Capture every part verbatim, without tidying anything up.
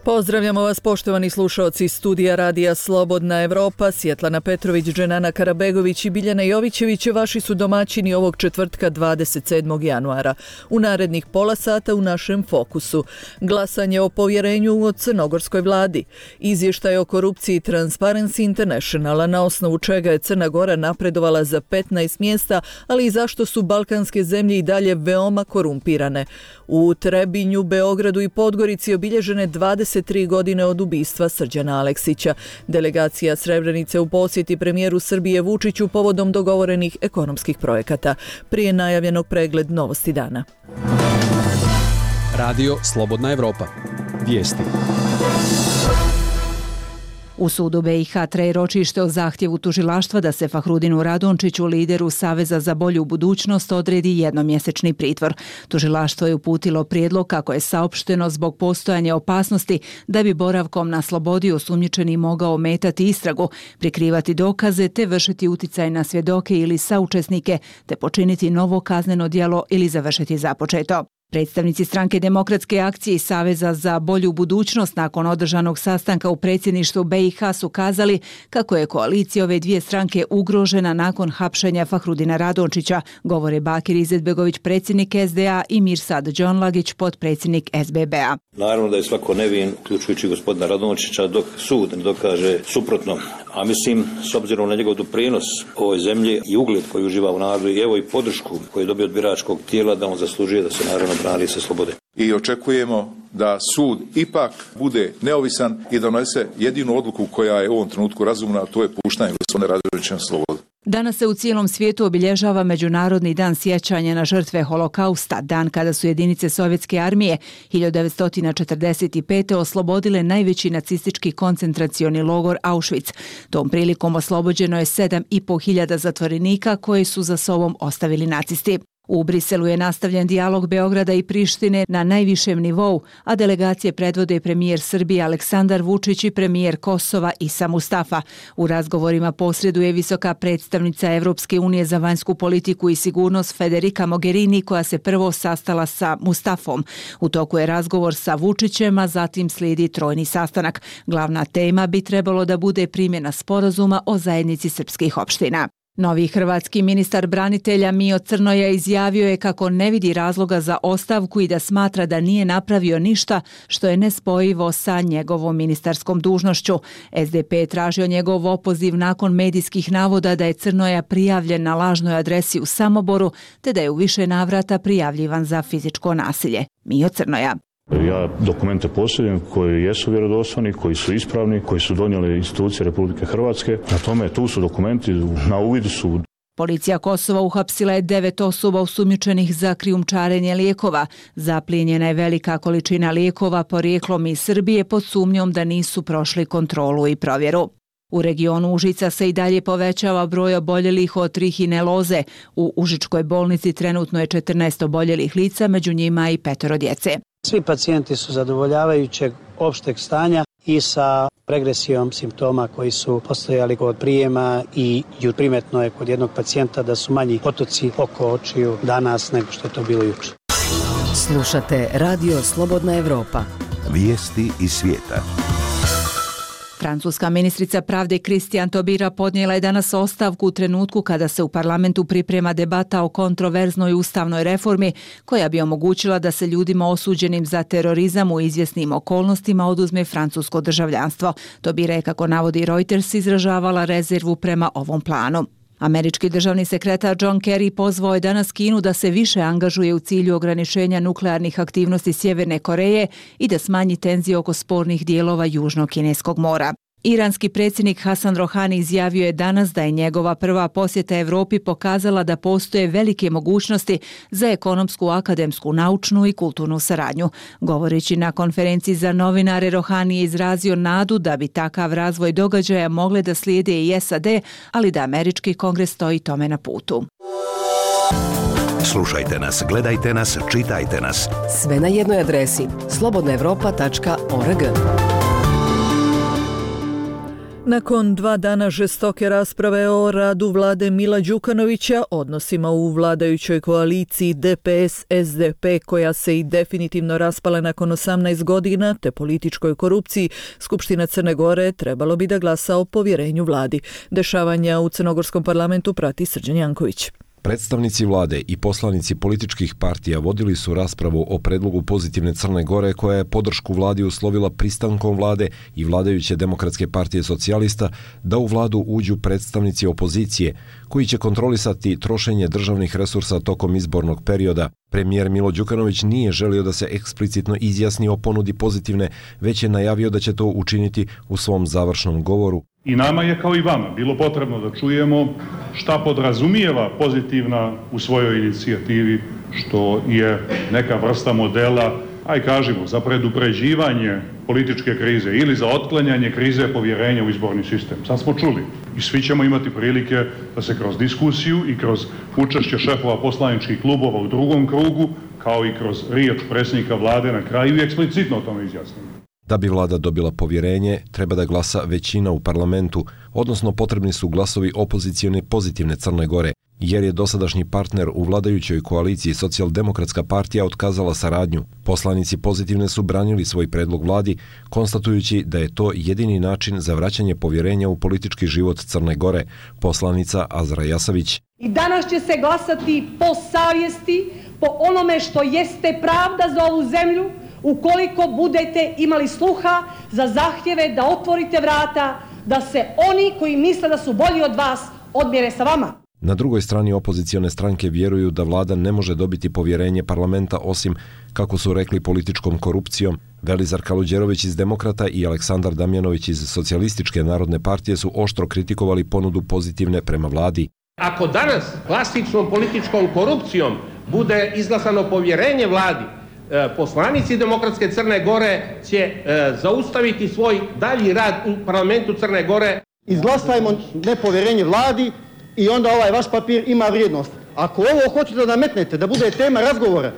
Pozdravljamo vas poštovani slušaoci studija Radija Slobodna Evropa, Svjetlana Petrović, Dženana Karabegović i Biljana Jovićević vaši su domaćini ovog četvrtka dvadeset sedmog januara. U narednih pola sata u našem fokusu glasanje o povjerenju o crnogorskoj vladi, izvještaj o korupciji Transparency Internationala na osnovu čega je Crna Gora napredovala za petnaest mjesta, ali i zašto su balkanske zemlje i dalje veoma korumpirane. U Trebinju, Beogradu i Podgorici obilježene dvadeset tri godine od ubistva Srđana Aleksića. Delegacija Srebrenice u posjeti premijeru Srbije Vučiću povodom dogovorenih ekonomskih projekata. Prije najavljenog pregled novosti dana. Radio Slobodna Evropa. Vijesti. U sudu be i ha traje ročište o zahtjevu tužilaštva da se Fahrudinu Radončiću, lideru Saveza za bolju budućnost, odredi jednomjesečni pritvor. Tužilaštvo je uputilo prijedlog, kako je saopšteno, zbog postojanja opasnosti da bi boravkom na slobodi osumnjičeni mogao ometati istragu, prikrivati dokaze te vršiti uticaj na svjedoke ili saučesnike te počiniti novo kazneno djelo ili završiti započeto. Predstavnici Stranke demokratske akcije i Saveza za bolju budućnost nakon održanog sastanka u predsjedništvu be i ha su kazali kako je koalicija ove dvije stranke ugrožena nakon hapšenja Fahrudina Radončića, govore Bakir Izetbegović, predsjednik es de a, i Mirsad Džonlagić, potpredsjednik es be be a. Naravno da je svako nevin, uključujući gospodina Radončića, dok sud ne dokaže suprotno. A mislim, s obzirom na njegov doprinos ovoj zemlji i ugled koji uživa u narodu i evo i podršku koju je dobio od biračkog tijela, da on zaslužuje da se naravno brani sa slobode. I očekujemo da sud ipak bude neovisan i da donese jedinu odluku koja je u ovom trenutku razumna, a to je puštanje gospodina Radončića na slobodu. Danas se u cijelom svijetu obilježava Međunarodni dan sjećanja na žrtve Holokausta, dan kada su jedinice Sovjetske armije hiljadu devetsto četrdeset pete oslobodile najveći nacistički koncentracioni logor Auschwitz. Tom prilikom oslobođeno je sedam i po hiljada zatvorenika koje su za sobom ostavili nacisti. U Briselu je nastavljen dijalog Beograda i Prištine na najvišem nivou, a delegacije predvode premijer Srbije Aleksandar Vučić i premijer Kosova Isa Mustafa. U razgovorima posreduje visoka predstavnica Evropske unije za vanjsku politiku i sigurnost Federica Mogherini, koja se prvo sastala sa Mustafom. U toku je razgovor sa Vučićem, a zatim slijedi trojni sastanak. Glavna tema bi trebalo da bude primjena sporazuma o zajednici srpskih opština. Novi hrvatski ministar branitelja Mio Crnoja izjavio je kako ne vidi razloga za ostavku i da smatra da nije napravio ništa što je nespojivo sa njegovom ministarskom dužnošću. es de pe je tražio njegov opoziv nakon medijskih navoda da je Crnoja prijavljen na lažnoj adresi u Samoboru te da je u više navrata prijavljivan za fizičko nasilje. Mio Crnoja: Ja dokumente posjedujem koji jesu vjerodostojni, koji su ispravni, koji su donijeli institucije Republike Hrvatske. Na tome tu su dokumenti, na uvidu su. Policija Kosova uhapsila je devet osoba osumnjičenih za krijumčarenje lijekova. Zaplijenjena je velika količina lijekova porijeklom iz Srbije pod sumnjom da nisu prošli kontrolu i provjeru. U regionu Užica se i dalje povećava broj oboljelih od trihineloze. U Užičkoj bolnici trenutno je četrnaest oboljelih lica, među njima i petoro djece. Svi pacijenti su zadovoljavajućeg opšteg stanja i sa regresijom simptoma koji su postojali kod prijema i primetno je kod jednog pacijenta da su manji otoci oko očiju danas nego što je to bilo jučer. Slušate Radio Slobodna Evropa. Vijesti iz svijeta. Francuska ministrica pravde Christiane Taubira podnijela je danas ostavku u trenutku kada se u parlamentu priprema debata o kontroverznoj ustavnoj reformi koja bi omogućila da se ljudima osuđenim za terorizam u izvjesnim okolnostima oduzme francusko državljanstvo. Taubira je, kako navodi Reuters, izražavala rezervu prema ovom planu. Američki državni sekretar John Kerry pozvao je danas Kinu da se više angažuje u cilju ograničenja nuklearnih aktivnosti Sjeverne Koreje i da smanji tenzije oko spornih dijelova Južnog Kineskog mora. Iranski predsjednik Hasan Rohani izjavio je danas da je njegova prva posjeta Europi pokazala da postoje velike mogućnosti za ekonomsku, akademsku, naučnu i kulturnu saradnju. Govoreći na konferenciji za novinare, Rohani je izrazio nadu da bi takav razvoj događaja mogle da slijede i es a de, ali da američki kongres stoji tome na putu. Slušajte nas, gledajte nas, čitajte nas. Sve na jednoj adresi slobodna evropa tačka org. Nakon dva dana žestoke rasprave o radu vlade Mila Đukanovića, odnosima u vladajućoj koaliciji D P S S D P koja se i definitivno raspala nakon osamnaest godina, te političkoj korupciji, Skupština Crne Gore trebalo bi da glasa o povjerenju vladi. Dešavanja u crnogorskom parlamentu prati Srđan Janković. Predstavnici vlade i poslanici političkih partija vodili su raspravu o predlogu pozitivne Crne Gore koja je podršku vladi uslovila pristankom vlade i vladajuće Demokratske partije socijalista da u vladu uđu predstavnici opozicije koji će kontrolisati trošenje državnih resursa tokom izbornog perioda. Premijer Milo Đukanović nije želio da se eksplicitno izjasni o ponudi pozitivne, već je najavio da će to učiniti u svom završnom govoru. I nama je kao i vama bilo potrebno da čujemo šta podrazumijeva pozitivna u svojoj inicijativi, što je neka vrsta modela, aj kažemo, za predupređivanje političke krize ili za otklanjanje krize povjerenja u izborni sistem. Sad smo čuli i svi ćemo imati prilike da se kroz diskusiju i kroz učešće šefova poslaničkih klubova u drugom krugu, kao i kroz riječ predsjednika vlade na kraju i eksplicitno o tome izjasnimo. Da bi vlada dobila povjerenje, treba da glasa većina u parlamentu, odnosno potrebni su glasovi opozicione pozitivne Crne Gore, jer je dosadašnji partner u vladajućoj koaliciji Socijaldemokratska partija otkazala saradnju. Poslanici pozitivne su branili svoj predlog vladi, konstatujući da je to jedini način za vraćanje povjerenja u politički život Crne Gore, poslanica Azra Jasavić. I danas će se glasati po savjesti, po onome što jeste pravda za ovu zemlju, ukoliko budete imali sluha za zahtjeve da otvorite vrata, da se oni koji misle da su bolji od vas odmjere sa vama. Na drugoj strani opozicione stranke vjeruju da vlada ne može dobiti povjerenje parlamenta osim, kako su rekli, političkom korupcijom. Velizar Kaluđerović iz Demokrata i Aleksandar Damjanović iz Socijalističke narodne partije su oštro kritikovali ponudu pozitivne prema vladi. Ako danas klasičnom političkom korupcijom bude izglasano povjerenje vladi, poslanici Demokratske Crne Gore će e, zaustaviti svoj dalji rad u parlamentu Crne Gore. Izglasajmo nepovjerenje vladi i onda ovaj vaš papir ima vrijednost. Ako ovo hoćete da nametnete, da bude tema razgovora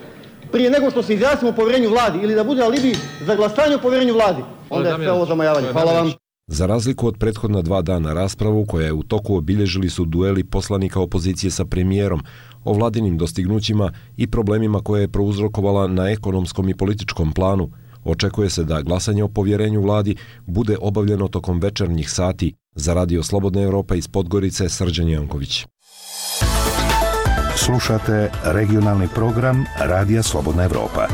prije nego što se izjasnimo o povjerenju vladi ili da bude alibi za glasanje o povjerenju vladi, onda je sve ovo zamajavanje. Hvala vam. Za razliku od prethodna dva dana raspravu koja je u toku, obilježili su dueli poslanika opozicije sa premijerom o vladinim dostignućima i problemima koje je prouzrokovala na ekonomskom i političkom planu. Očekuje se da glasanje o povjerenju vladi bude obavljeno tokom večernjih sati. Za Radio Slobodna Evropa iz Podgorice, Srđan Janković. Slušate regionalni program Radija Slobodna Evropa.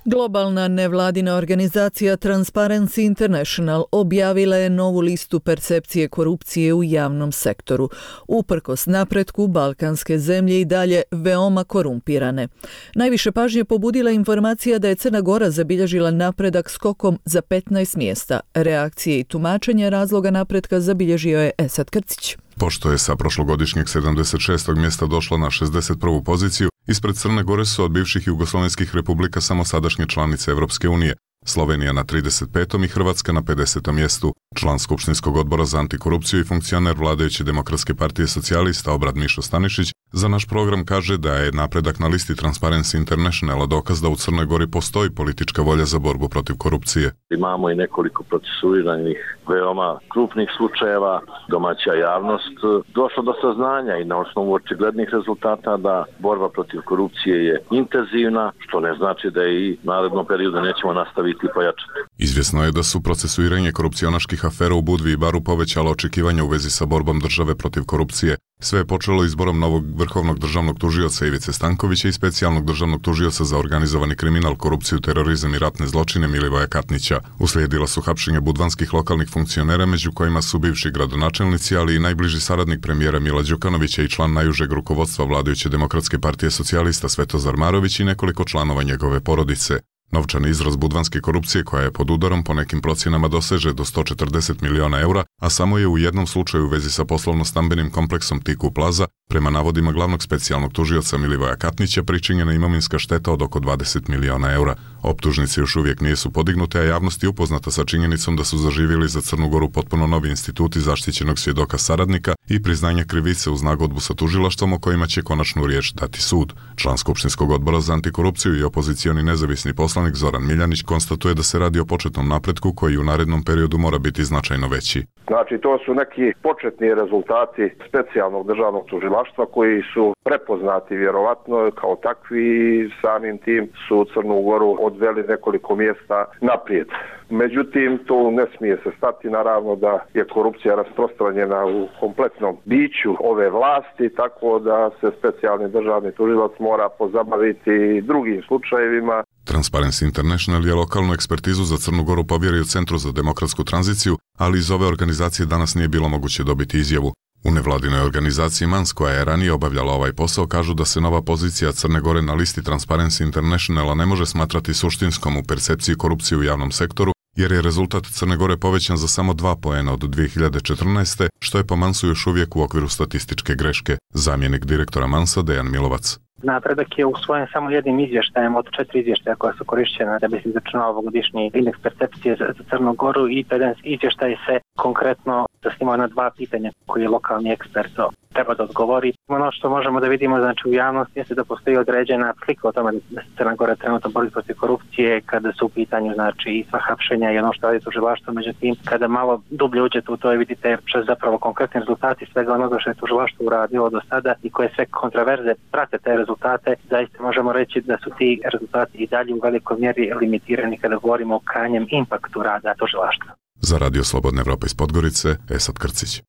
Globalna nevladina organizacija Transparency International objavila je novu listu percepcije korupcije u javnom sektoru. Uprkos napretku, balkanske zemlje i dalje veoma korumpirane. Najviše pažnje pobudila informacija da je Crna Gora zabilježila napredak skokom za petnaest mjesta. Reakcije i tumačenje razloga napretka zabilježio je Esad Krcić. Pošto je sa prošlogodišnjeg sedamdeset šestog mjesta došla na šezdeset prvu poziciju, ispred Crne Gore su od bivših jugoslovenskih republika samo sadašnje članice Evropske unije, Slovenija na trideset petom i Hrvatska na pedesetom mjestu. Član Skupštinskog odbora za antikorupciju i funkcioner vladajuće Demokratske partije socijalista Obrad Mišo Stanišić za naš program kaže da je napredak na listi Transparency Internationala dokaz da u Crnoj Gori postoji politička volja za borbu protiv korupcije. Imamo i nekoliko procesuiranih veoma krupnih slučajeva, domaća javnost došla do saznanja i na osnovu očiglednih rezultata da borba protiv korupcije je intenzivna, što ne znači da i narednom periodu nećemo nastaviti i pojačati. Izvjesno je da su procesuiranje korupcionaških afera u Budvi i Baru povećala očekivanja u vezi sa borbom države protiv korupcije. Sve je počelo izborom novog vrhovnog državnog tužioca Ivice Stankovića i specijalnog državnog tužioca za organizovani kriminal, korupciju, terorizam i ratne zločine Milivoja Katnića. Uslijedila su hapšenje budvanskih lokalnih funkcionera, među kojima su bivši gradonačelnici, ali i najbliži saradnik premijera Mila Đukanovića i član najužeg rukovodstva vladajuće Demokratske partije socijalista Svetozar Marović i nekoliko članova njegove porodice. Novčani izraz budvanske korupcije, koja je pod udarom, po nekim procjenama doseže do sto četrdeset miliona eura, a samo je u jednom slučaju u vezi sa poslovno-stambenim kompleksom Tiku Plaza, prema navodima glavnog specijalnog tužioca Milivoja Katnića, pričinjena imovinska šteta od oko dvadeset miliona eura. Optužnice još uvijek nisu podignute, a javnost je upoznata sa činjenicom da su zaživjeli za Crnu Goru potpuno novi instituti zaštićenog svjedoka saradnika i priznanja krivice uz nagodbu sa tužilaštvom o kojima će konačnu riječ dati sud. Član Skupštinskog odbora za antikorupciju i opozicioni nezavisni poslanik državnik Zoran Miljanić konstatuje da se radi o početnom napretku koji u narednom periodu mora biti značajno veći. Znači, to su neki početni rezultati specijalnog državnog tužilaštva koji su prepoznati vjerovatno kao takvi i samim tim su Crnu Goru odveli nekoliko mjesta naprijed. Međutim, tu ne smije se stati, naravno da je korupcija rasprostranjena u kompletnom biću ove vlasti, tako da se specijalni državni tužilac mora pozabaviti drugim slučajevima. Transparency International je lokalnu ekspertizu za Crnu Goru povjerio Centru za demokratsku tranziciju, ali iz ove organizacije danas nije bilo moguće dobiti izjavu. U nevladinoj organizaciji Mans, koja je ranije obavljala ovaj posao, kažu da se nova pozicija Crne Gore na listi Transparency Internationala ne može smatrati suštinskom u percepciji korupcije u javnom sektoru, jer je rezultat Crne Gore povećan za samo dva poena od dvije hiljade četrnaeste. što je po Mansu još uvijek u okviru statističke greške. Zamjenik direktora Mansa Dejan Milovac. Napredak je usvojen samo jednim izvještajem od četiri izvještaja koja su korišćena da bi se izračunao ovogodišnji indeks percepcije za, za Crnu Goru i taj izvještaj se konkretno zasnimao na dva pitanja koji je lokalni ekspert treba da odgovori. Ono što možemo da vidimo znači u javnosti jeste da postoji određena slika o tome da se Crna Gora trenutno bori protiv korupcije kada su u pitanju znači i sva hapšenja i ono što radi tužilaštvo. Međutim, kada malo dublje uđete u to vidite što zapravo konkretni rezultati svega onoga što je tužilaštvo uradilo do sada i koje sve kontraverze prate te rezultate, zaista možemo reći da su ti rezultati i dalje u velikoj mjeri limitirani kada govorimo o krajnjem impaktu rada tužilaštva. Za Radio Slobodna Evropa iz Podgorice, Esad Krcić.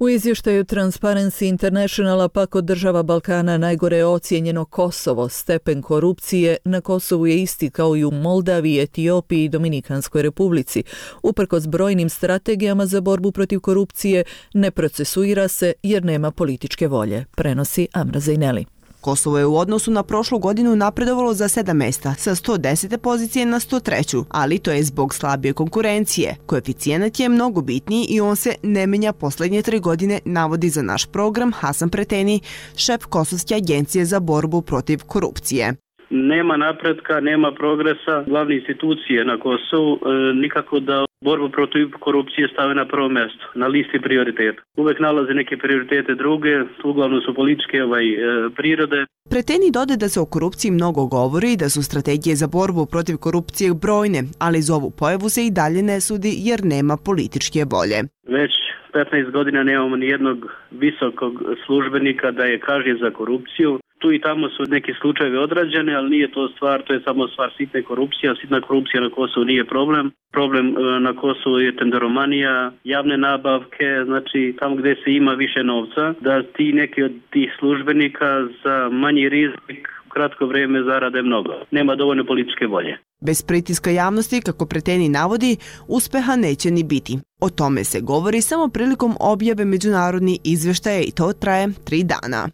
U izvještaju Transparency Internationala pak od država Balkana najgore je ocijenjeno Kosovo. Stepen korupcije na Kosovu je isti kao i u Moldaviji, Etiopiji i Dominikanskoj republici. Uprkos brojnim strategijama za borbu protiv korupcije ne procesuira se jer nema političke volje, prenosi Amra Zejneli. Kosovo je u odnosu na prošlu godinu napredovalo za sedam mjesta, sa sto desete pozicije na sto treću, ali to je zbog slabije konkurencije. Koeficijenat je mnogo bitniji i on se ne menja posljednje tri godine, navodi za naš program Hasan Preteni, šef Kosovske agencije za borbu protiv korupcije. Nema napretka, nema progresa, glavne institucije na Kosovu e, nikako da borbu protiv korupcije stave na prvo mjesto, na listi prioriteta. Uvek nalaze neke prioritete druge, uglavnom su političke ovaj, e, prirode. Preteni dode da se o korupciji mnogo govori i da su strategije za borbu protiv korupcije brojne, ali za ovu pojavu se i dalje ne sudi jer nema političke volje. Već petnaest godina nemamo ni jednog visokog službenika da je kažnjen za korupciju. Tu i tamo su neki slučajevi odrađeni, ali nije to stvar, to je samo stvar sitne korupcije. Sitna korupcija na Kosovu nije problem. Problem na Kosovu je tenderomanija, javne nabavke, znači tamo gdje se ima više novca, da ti neki od tih službenika za manji rizik kratko vrijeme zarade mnogo. Nema dovoljno političke volje. Bez pritiska javnosti, kako Preteni navodi, uspeha neće ni biti. O tome se govori samo prilikom objave međunarodnih izvještaja i to traje tri dana.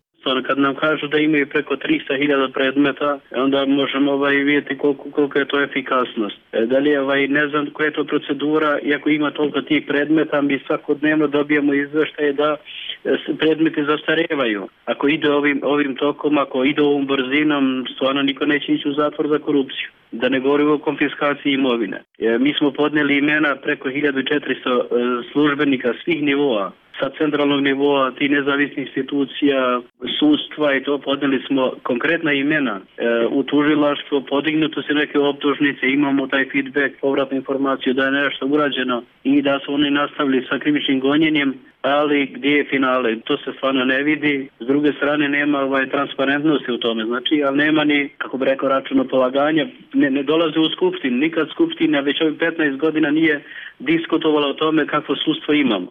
Kad nam kažu da imaju preko tristo hiljada predmeta, onda možemo ovaj, vidjeti koliko, koliko je to efikasnost. E, da li je, ovaj, ne znam koja je to procedura, iako ima toliko tih predmeta, mi svakodnevno dobijamo izveštaje da predmeti zastarevaju. Ako ide ovim, ovim tokom, ako ide ovom brzinom, stvarno niko neće ići u zatvor za korupciju. Da ne govorimo o konfiskaciji imovine. E, mi smo podnijeli imena preko hiljadu četiristo e, službenika svih nivoa. Sa centralnog nivoa, ti nezavisnih institucija, sudstva i to podnijeli smo konkretna imena. E, u tužilaštvo podignuto se neke optužnice, imamo taj feedback, povratnu informaciju da je nešto urađeno i da su oni nastavili sa krivičnim gonjenjem, ali gdje je finale? To se stvarno ne vidi. S druge strane nema ovaj, transparentnosti u tome, znači, ali nema ni, kako bi rekao, računopolaganja, ne, ne dolaze u skupštinu. Nikad skupština već ovih petnaest godina nije diskutovala o tome kakvo sudstvo imamo.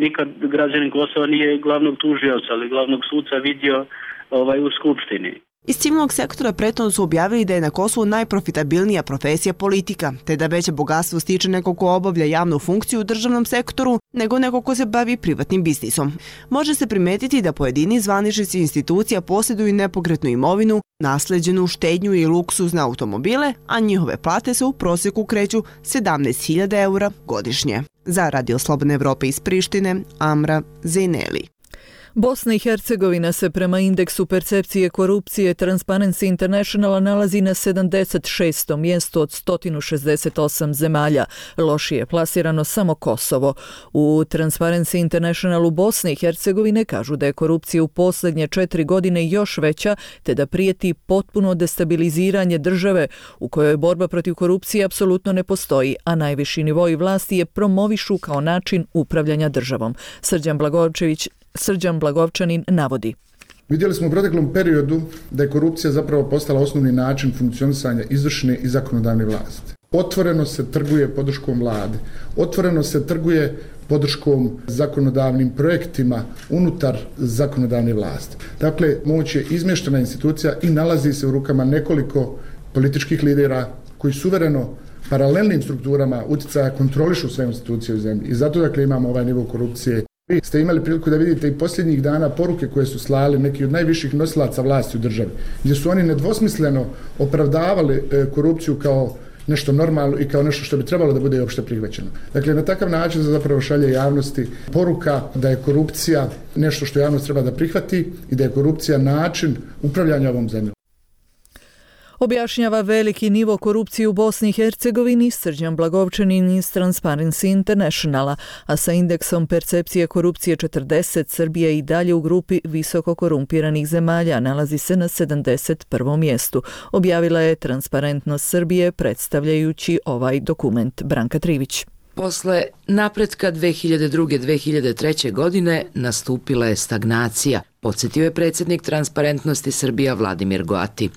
Nikad građanin Kosova nije glavnog tužioca, ali glavnog suca vidio ovaj, u skupštini. Iz civilnog sektora prethodno su objavili da je na Kosovu najprofitabilnija profesija politika, te da veće bogatstvo stiče neko ko obavlja javnu funkciju u državnom sektoru nego neko ko se bavi privatnim biznisom. Može se primetiti da pojedini zvaničnici institucija posjeduju nepokretnu imovinu, nasleđenu štednju i luksuzne automobile, a njihove plate se u prosjeku kreću sedamnaest hiljada eura godišnje. Za Radio Slobodne Evrope iz Prištine, Amra Zejneli. Bosna i Hercegovina se prema indeksu percepcije korupcije Transparency Internationala nalazi na sedamdeset šestom mjestu od sto šezdeset osam zemalja. Lošije je plasirano samo Kosovo. U Transparency Internationalu Bosne i Hercegovine kažu da je korupcija u posljednje četiri godine još veća, te da prijeti potpuno destabiliziranje države u kojoj borba protiv korupcije apsolutno ne postoji, a najviši nivoi vlasti je promovišu kao način upravljanja državom. Srđan Blagovčević Srđan Blagovčanin navodi. Vidjeli smo u proteklom periodu da je korupcija zapravo postala osnovni način funkcionisanja izvršne i zakonodavne vlasti. Otvoreno se trguje podrškom vlade, otvoreno se trguje podrškom zakonodavnim projektima unutar zakonodavne vlasti. Dakle, moć je izmještena institucija i nalazi se u rukama nekoliko političkih lidera koji suvereno paralelnim strukturama utjecaja kontrolišu sve institucije u zemlji. I zato dakle imamo ovaj nivo korupcije. Vi ste imali priliku da vidite i posljednjih dana poruke koje su slali neki od najviših nosilaca vlasti u državi, gdje su oni nedvosmisleno opravdavali korupciju kao nešto normalno i kao nešto što bi trebalo da bude opšte prihvaćeno. Dakle, na takav način se zapravo šalje javnosti poruka da je korupcija nešto što javnost treba da prihvati i da je korupcija način upravljanja ovom zemljom. Objašnjava veliki nivo korupcije u Bosni i Hercegovini Srđan Blagovčanin iz Transparency Internationala, a sa indeksom percepcije korupcije četrdeset Srbija i dalje u grupi visoko korumpiranih zemalja, nalazi se na sedamdeset prvom mjestu. Objavila je Transparentnost Srbije predstavljajući ovaj dokument. Branka Trivić. Posle napretka dve hiljade druge do dve hiljade treće. godine nastupila je stagnacija, podsjetio je predsjednik Transparentnosti Srbija Vladimir Goati.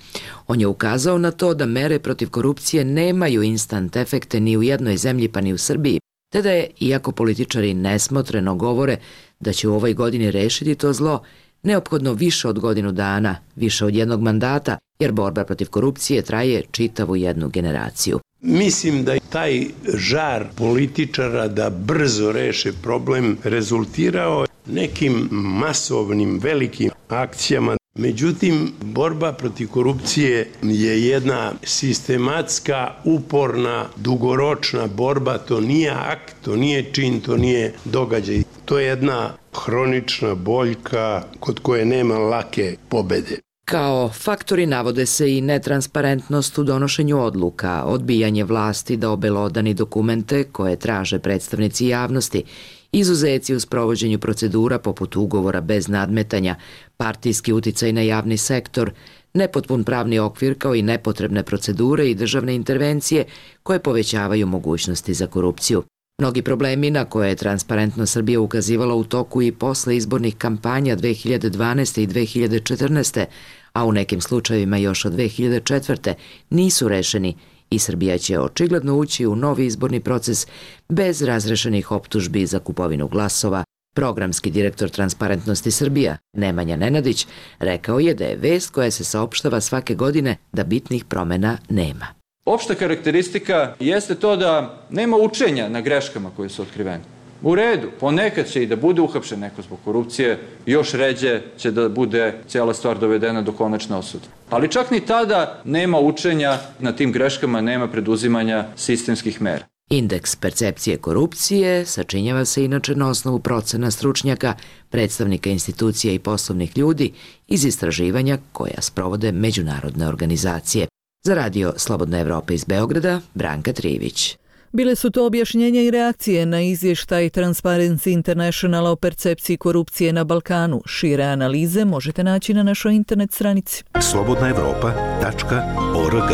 On je ukazao na to da mere protiv korupcije nemaju instant efekte ni u jednoj zemlji pa ni u Srbiji, te da je, iako političari nesmotreno govore da će u ovoj godini rešiti to zlo, neophodno više od godinu dana, više od jednog mandata, jer borba protiv korupcije traje čitavu jednu generaciju. Mislim da je taj žar političara da brzo reše problem rezultirao nekim masovnim velikim akcijama. Međutim, borba protiv korupcije je jedna sistematska, uporna, dugoročna borba. To nije akt, to nije čin, to nije događaj. To je jedna hronična boljka kod koje nema lake pobede. Kao faktori navode se i netransparentnost u donošenju odluka, odbijanje vlasti da obelodani dokumente koje traže predstavnici javnosti, izuzeci u sprovođenju procedura poput ugovora bez nadmetanja, partijski uticaj na javni sektor, nepotpun pravni okvir kao i nepotrebne procedure i državne intervencije koje povećavaju mogućnosti za korupciju. Mnogi problemi na koje je Transparentnost Srbija ukazivala u toku i posle izbornih kampanja dve hiljade dvanaeste. i dve hiljade četrnaeste. a u nekim slučajevima još od dve hiljade četvrte. nisu rešeni i Srbija će očigledno ući u novi izborni proces bez razrešenih optužbi za kupovinu glasova. Programski direktor Transparentnosti Srbija, Nemanja Nenadić, rekao je da je vest koja se saopštava svake godine da bitnih promjena nema. Opšta karakteristika jeste to da nema učenja na greškama koje su otkrivene. U redu, ponekad će i da bude uhapšen neko zbog korupcije, još ređe će da bude cijela stvar dovedena do konačne osude. Ali čak ni tada nema učenja na tim greškama, nema preduzimanja sistemskih mera. Indeks percepcije korupcije sačinjava se inače na osnovu procena stručnjaka, predstavnika institucija i poslovnih ljudi iz istraživanja koja sprovode međunarodne organizacije. Za radio Slobodna Evropa iz Beograda, Branka Trivić. Bile su to objašnjenja i reakcije na izvještaj Transparency Internationala o percepciji korupcije na Balkanu. Šire analize možete naći na našoj internet stranici slobodna evropa tačka org.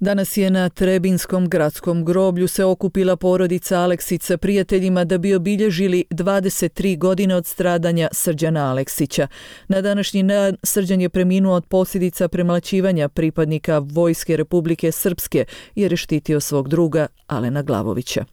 Danas je na Trebinskom gradskom groblju se okupila porodica Aleksić sa prijateljima da bi obilježili dvadeset tri godine od stradanja Srđana Aleksića. Na današnji dan Srđan je preminuo od posljedica premlaćivanja pripadnika Vojske Republike Srpske jer je štitio svog druga Alena Glavovića.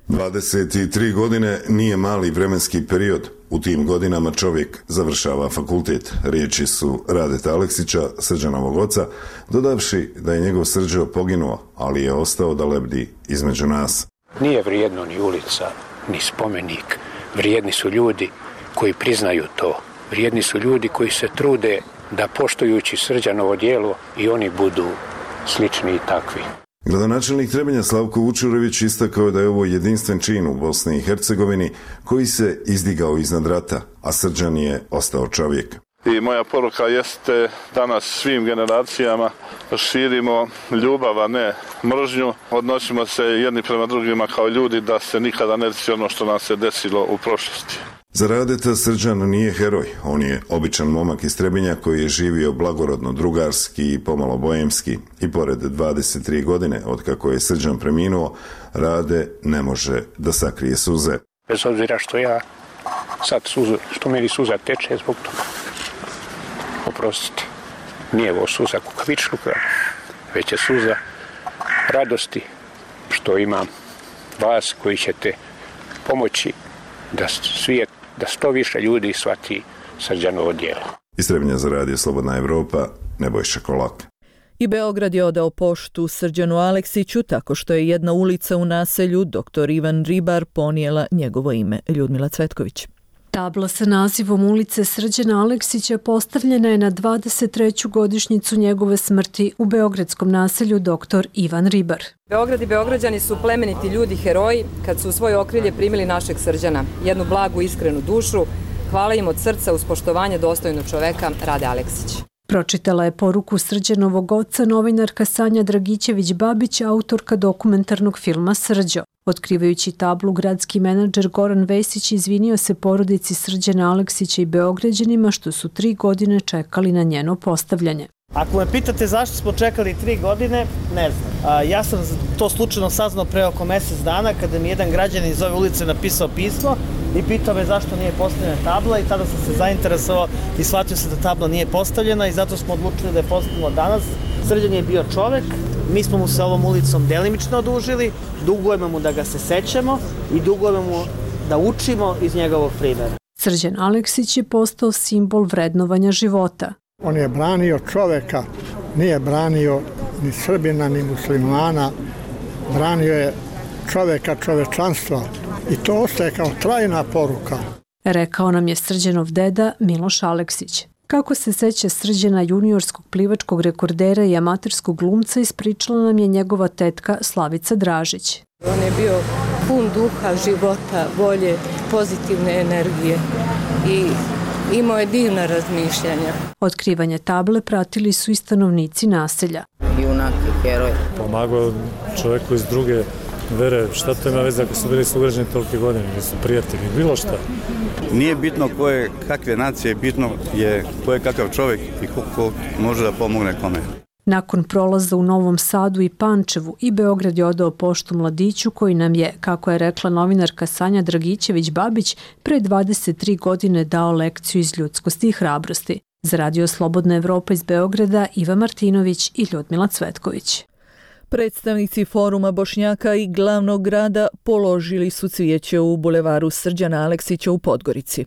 dvadeset tri godine nije mali vremenski period. U tim godinama čovjek završava fakultet. Riječi su Radeta Aleksića, Srđanovog oca, dodavši da je njegov Srđo poginuo, ali je ostao da lebdi između nas. Nije vrijedno ni ulica, ni spomenik. Vrijedni su ljudi koji priznaju to. Vrijedni su ljudi koji se trude da poštujući Srđanovo djelo i oni budu slični i takvi. Gradonačelnik Trebinja Slavko Vučurević istakao je da je ovo jedinstven čin u Bosni i Hercegovini koji se izdigao iznad rata, a Srđan je ostao čovjek. I moja poruka jeste danas svim generacijama širimo ljubav, a ne mržnju. Odnosimo se jedni prema drugima kao ljudi da se nikada ne desi ono što nam se desilo u prošlosti. Za Radeta Srđan nije heroj, on je običan momak iz Trebinja koji je živio blagorodno drugarski i pomalo bojemski i pored dvadeset tri godine od kako je Srđan preminuo, Rade ne može da sakrije suze. Bez obzira što ja sad suzu, što meni suza teče zbog toga. Oprostite, nije ovo suza kukavičluka, već je suza radosti što imam vas koji ćete pomoći da svijet, da sto više ljudi shvati Srđanovo djelo. Iz Trebinja za Radio Slobodna Evropa, Nebojša Kolak. I Beograd je odao poštu Srđanu Aleksiću tako što je jedna ulica u naselju doktor Ivan Ribar ponijela njegovo ime. Ljudmila Cvetković. Tabla sa nazivom ulice Srđana Aleksića postavljena je na dvadeset treću godišnjicu njegove smrti u beogradskom naselju doktor Ivan Ribar. Beograd i Beograđani su plemeniti ljudi, heroji, kad su u svoje okrilje primili našeg Srđana, jednu blagu, iskrenu dušu. Hvala im od srca uz poštovanje dostojnog čoveka Rade Aleksić. Pročitala je poruku Srđanovog oca novinarka Sanja Dragićević-Babić, autorka dokumentarnog filma Srđo. Otkrivajući tablu, gradski menadžer Goran Vesić izvinio se porodici Srđana Aleksića i Beograđanima što su tri godine čekali na njeno postavljanje. Ako me pitate zašto smo čekali tri godine, ne znam. A, ja sam to slučajno saznao pre oko mjesec dana kada mi jedan građanin iz ove ulice napisao pismo i pitao me zašto nije postavljena tabla i tada sam se zainteresovao i shvatio se da tabla nije postavljena i zato smo odlučili da je postavljeno danas. Srđan je bio čovek, mi smo mu se ovom ulicom delimično odužili, dugujemo mu da ga se sećamo i dugujemo mu da učimo iz njegovog primjera. Srđan Aleksić je postao simbol vrednovanja života. On je branio čoveka, nije branio ni Srbina, ni muslimana, branio je čoveka, čovečanstva i to ostaje kao trajna poruka. Rekao nam je Srđanov deda Miloš Aleksić. Kako se seća Srđana, juniorskog plivačkog rekordera i amaterskog glumca, ispričala nam je njegova tetka Slavica Dražić. On je bio pun duha, života, volje, pozitivne energije i imao je divna razmišljanja. Otkrivanje table pratili su i stanovnici naselja. Junak i heroj. Pomagao čovjeku iz druge vere, šta to ima veze ako su bili sugrađani tolike godine, ili su prijatelji, bilo šta. Nije bitno ko je kakve nacije, bitno je ko je kakav čovjek i ko, ko može da pomogne kome. Nakon prolaza u Novom Sadu i Pančevu i Beograd je odao poštu mladiću koji nam je, kako je rekla novinarka Sanja Dragićević-Babić, pre dvadeset tri godine dao lekciju iz ljudskosti i hrabrosti. Za Radio Slobodna Evropa iz Beograda, Iva Martinović i Ljudmila Cvetković. Predstavnici Foruma Bošnjaka i glavnog grada položili su cvijeće u bulevaru Srđana Aleksića u Podgorici.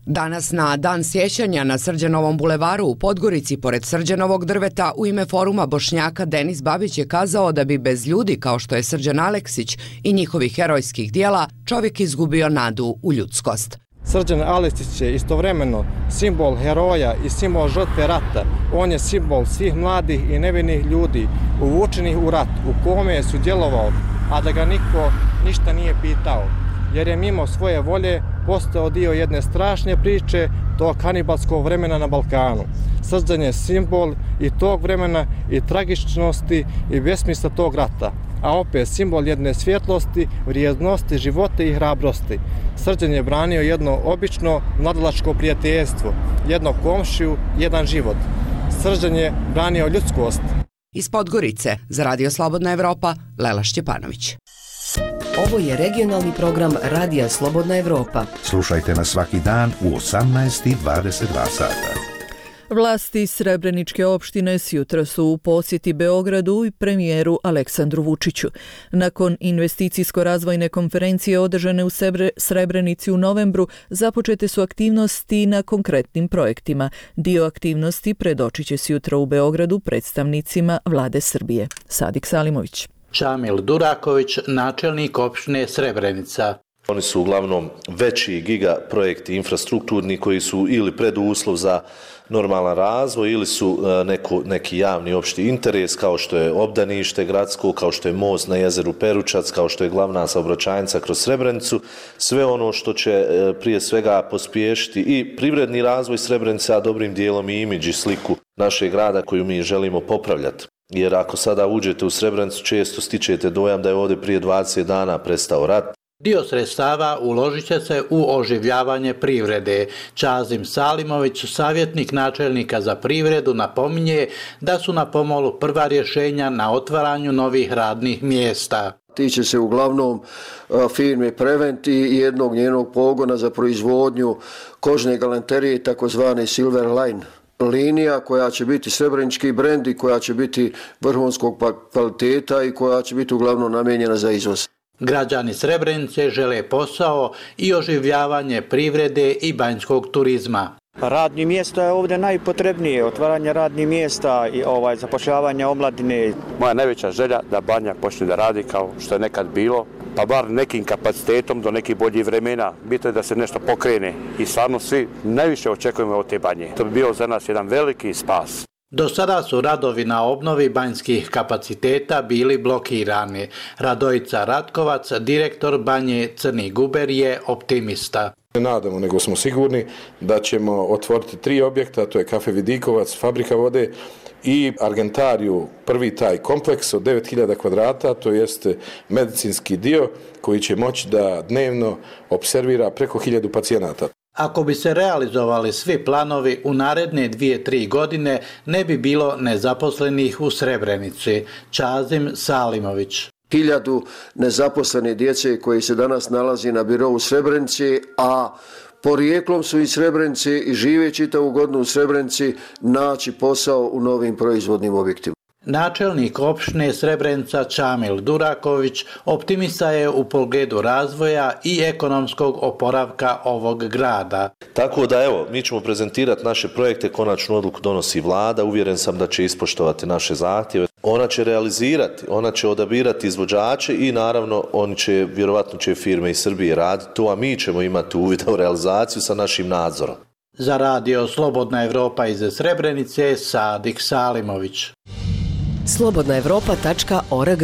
Danas na dan sjećanja na Srđanovom bulevaru u Podgorici pored Srđanovog drveta u ime Foruma Bošnjaka Denis Babić je kazao da bi bez ljudi kao što je Srđan Aleksić i njihovih herojskih dijela čovjek izgubio nadu u ljudskost. Srđan Aleksić je istovremeno simbol heroja i simbol žrtve rata. On je simbol svih mladih i nevinih ljudi uvučenih u rat u kome je sudjelovao, a da ga niko ništa nije pitao, jer je mimo svoje volje postao dio jedne strašne priče tog kanibalskog vremena na Balkanu. Srđan je simbol i tog vremena i tragičnosti i besmisla tog rata, a opet simbol jedne svjetlosti, vrijednosti, života i hrabrosti. Srđan je branio jedno obično mladalačko prijateljstvo, jedno komšiju, jedan život. Srđan je branio ljudskost. Iz Podgorice, za Radio Slobodna Evropa, Lela Šćepanović. Ovo je regionalni program Radija Slobodna Evropa. Slušajte nas svaki dan u osamnaest i dvadeset dva sata. Vlasti Srebreničke opštine sjutra su u posjeti Beogradu i premijeru Aleksandru Vučiću. Nakon investicijsko-razvojne konferencije održane u Srebrenici u novembru, započete su aktivnosti na konkretnim projektima. Dio aktivnosti predočit će sjutra u Beogradu predstavnicima vlade Srbije. Sadik Salimović. Čamil Duraković, načelnik opštine Srebrenica. Oni su uglavnom veći giga projekti infrastrukturni koji su ili preduslov za normalan razvoj ili su neko, neki javni opšti interes kao što je obdanište gradsko, kao što je most na jezeru Peručac, kao što je glavna saobraćajnica kroz Srebrenicu. Sve ono što će prije svega pospješiti i privredni razvoj Srebrenice, a dobrim dijelom i imidž i sliku našeg grada koju mi želimo popravljati. Jer ako sada uđete u Srebrenicu često stičete dojam da je ovdje prije dvadeset dana prestao rat. Dio sredstava uložit će se u oživljavanje privrede. Čazim Salimović, savjetnik načelnika za privredu, napominje da su na pomolu prva rješenja na otvaranju novih radnih mjesta. Tiče se uglavnom firme Prevent i jednog njenog pogona za proizvodnju kožne galanterije, takozvane Silver Line linija, koja će biti srebrenički brend i koja će biti vrhunskog kvaliteta i koja će biti uglavnom namijenjena za izvoz. Građani Srebrenice žele posao i oživljavanje privrede i banjskog turizma. Radni mjesto je ovdje najpotrebnije, otvaranje radnih mjesta i ovaj, zapošljavanje omladine. Moja najveća želja da Banja počne da radi kao što je nekad bilo, pa bar nekim kapacitetom do nekih boljih vremena. Bitno je da se nešto pokrene i stvarno svi najviše očekujemo od te Banje. To bi bio za nas jedan veliki spas. Do sada su radovi na obnovi banjskih kapaciteta bili blokirani. Radojica Ratkovac, direktor Banje Crni Guber, je optimista. Ne nadamo, nego smo sigurni da ćemo otvoriti tri objekta, to je Kafe Vidikovac, Fabrika vode i Argentariju, prvi taj kompleks od devet hiljada kvadrata, to jest medicinski dio koji će moći da dnevno observira preko hiljadu pacijenata. Ako bi se realizovali svi planovi, u naredne dvije, tri godine ne bi bilo nezaposlenih u Srebrenici. Čazim Salimović. Hiljadu nezaposlene djece koji se danas nalazi na birou Srebrenici, a porijeklom su iz Srebrenice i žive čitavu godinu u Srebrenici, naći posao u novim proizvodnim objektima. Načelnik opštine Srebrenica Čamil Duraković optimista je u pogledu razvoja i ekonomskog oporavka ovog grada. Tako da evo, mi ćemo prezentirati naše projekte, konačnu odluku donosi vlada, uvjeren sam da će ispoštovati naše zahtjeve. Ona će realizirati, ona će odabirati izvođače i naravno oni će, vjerovatno će firme iz Srbije raditi to, a mi ćemo imati uvida u realizaciju sa našim nadzorom. Za radio Slobodna Evropa iz Srebrenice, Sadik Salimović. slobodna evropa tačka org.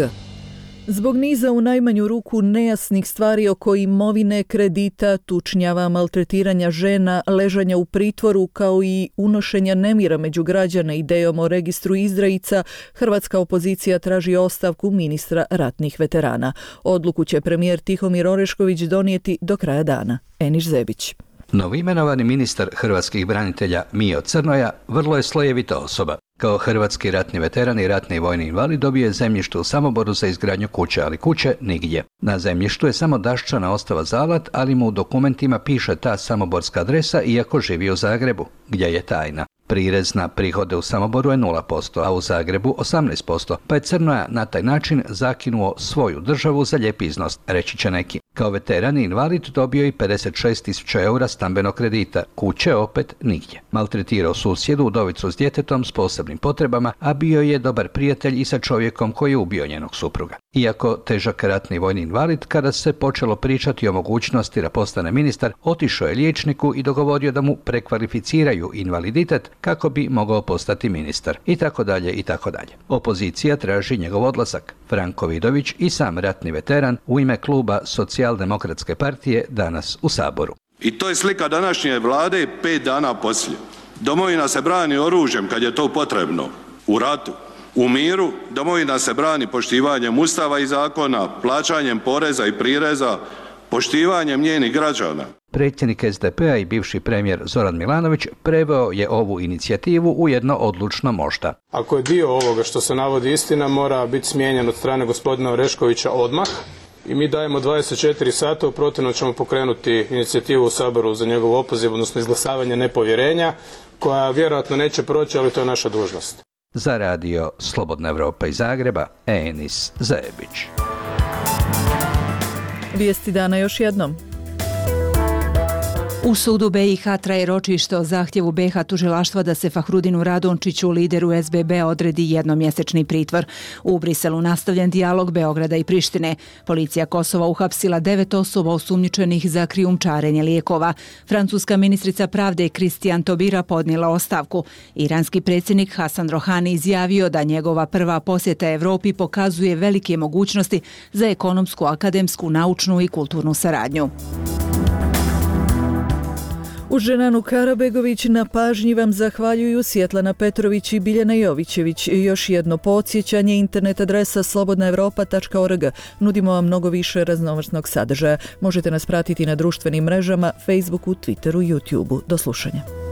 Zbog niza u najmanju ruku nejasnih stvari oko imovine, kredita, tučnjava, maltretiranja žena, ležanja u pritvoru kao i unošenja nemira među građane idejom o registru izdajica, hrvatska opozicija traži ostavku ministra ratnih veterana. Odluku će premijer Tihomir Orešković donijeti do kraja dana. Eniš Zebić. Novoimenovani ministar hrvatskih branitelja Mijo Crnoja vrlo je slojevita osoba. Kao hrvatski ratni veteran i ratni vojni invalid dobio je zemljište u Samoboru za izgradnju kuće, ali kuće nigdje. Na zemljištu je samo daščana ostava Zalat, ali mu u dokumentima piše ta samoborska adresa iako živi u Zagrebu, gdje je tajna. Prirez na prihode u Samoboru je nula posto, a u Zagrebu osamnaest posto, pa je Crnoja na taj način zakinuo svoju državu za lijep iznos, reći će neki. Kao veteran i invalid dobio i pedeset šest tisuća eura stambenog kredita, kuće opet nigdje. Maltretirao susjedu, udovicu s djetetom s posebnim potrebama, a bio je dobar prijatelj i sa čovjekom koji je ubio njenog supruga. Iako težak ratni vojni invalid, kada se počelo pričati o mogućnosti da postane ministar, otišao je liječniku i dogovorio da mu prekvalificiraju invaliditet kako bi mogao postati ministar. I tako dalje, i tako dalje. Opozicija traži njegov odlazak. Franko Vidović i sam ratni veteran u ime kluba Socijaldemokratske partije danas u Saboru. I to je slika današnje vlade pet dana poslije. Domovina se brani oružjem kad je to potrebno. U ratu. U miru domovina se brani poštivanjem ustava i zakona, plaćanjem poreza i prireza, poštivanjem njenih građana. Predsjednik es de pe a i bivši premijer Zoran Milanović preveo je ovu inicijativu u jedno odlučno možda. Ako je dio ovoga što se navodi istina, mora biti smijenjen od strane gospodina Oreškovića odmah i mi dajemo dvadeset četiri sata, u protivnom ćemo pokrenuti inicijativu u Saboru za njegov opoziv, odnosno izglasavanje nepovjerenja, koja vjerojatno neće proći, ali to je naša dužnost. Za radio Slobodna Evropa iz Zagreba, Enis Zajebić. Vijesti dana još jednom. U sudu be i ha traje ročište o zahtjevu be ha tužilaštva da se Fahrudinu Radončiću, lideru es be be, odredi jednomjesečni pritvor. U Briselu nastavljen dijalog Beograda i Prištine. Policija Kosova uhapsila devet osoba osumnjičenih za krijumčarenje lijekova. Francuska ministrica pravde Kristijan Tobira podnijela ostavku. Iranski predsjednik Hasan Rohani izjavio da njegova prva posjeta Evropi pokazuje velike mogućnosti za ekonomsku, akademsku, naučnu i kulturnu saradnju. Uz Dženanu Karabegović na pažnji vam zahvaljuju Svjetlana Petrović i Biljana Jovićević. Još jedno podsjećanje, internet adresa slobodna evropa tačka org. Nudimo vam mnogo više raznovrsnog sadržaja. Možete nas pratiti na društvenim mrežama, Facebooku, Twitteru, YouTubeu. Do slušanja.